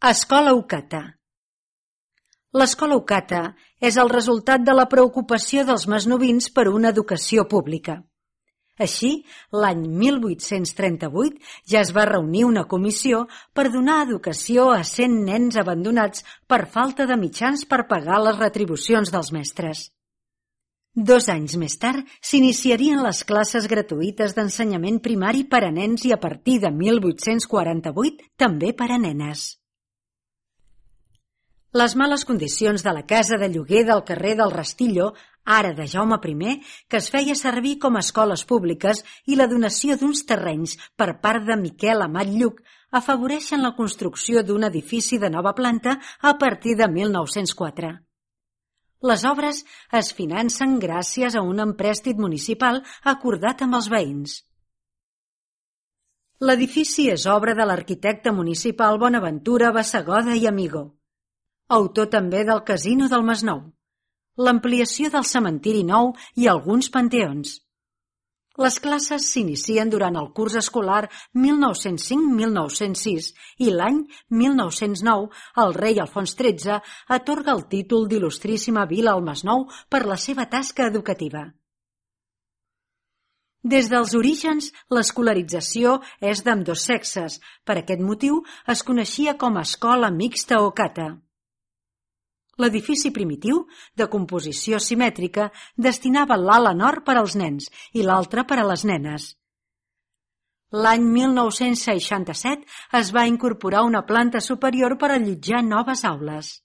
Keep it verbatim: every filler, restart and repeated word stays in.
Escola Ocata. L'escola Ocata és el resultat de la preocupació dels masnovins per una educació pública. Així, l'any mil vuit-cents trenta-vuit ja es va reunir una comissió per donar educació a cent nens abandonats per falta de mitjans per pagar les retribucions dels mestres. Dos anys més tard s'iniciarien les classes gratuïtes d'ensenyament primari per a nens i a partir de mil vuit-cents quaranta-vuit també per a nenes. Les males condicions de la casa de lloguer del carrer del Rastillo, ara de Jaume primer, que es feia servir com a escoles públiques, i la donació d'uns terrenys per part de Miquel Amat Lluch afavoreixen la construcció d'un edifici de nova planta a partir de mil nou-cents quatre. Les obres es financen gràcies a un emprèstit municipal acordat amb els veïns. L'edifici és obra de l'arquitecte municipal Bonaventura Bassegoda i Amigó, autor també del Casino del Masnou, l'ampliació del cementiri nou i alguns panteons. Les classes s'inicien durant el curs escolar mil nou-cents cinc mil nou-cents sis i l'any mil nou-cents nou el rei Alfons tretze atorga el títol d'il·lustríssima vila al Masnou per la seva tasca educativa. Des dels orígens, l'escolarització és d'ambdós sexes. Per aquest motiu es coneixia com a Escola Mixta Ocata. L'edifici primitiu, de composició simètrica, destinava l'ala nord per als nens i l'altra per a les nenes. L'any mil nou-cents seixanta-set es va incorporar una planta superior per allotjar noves aules.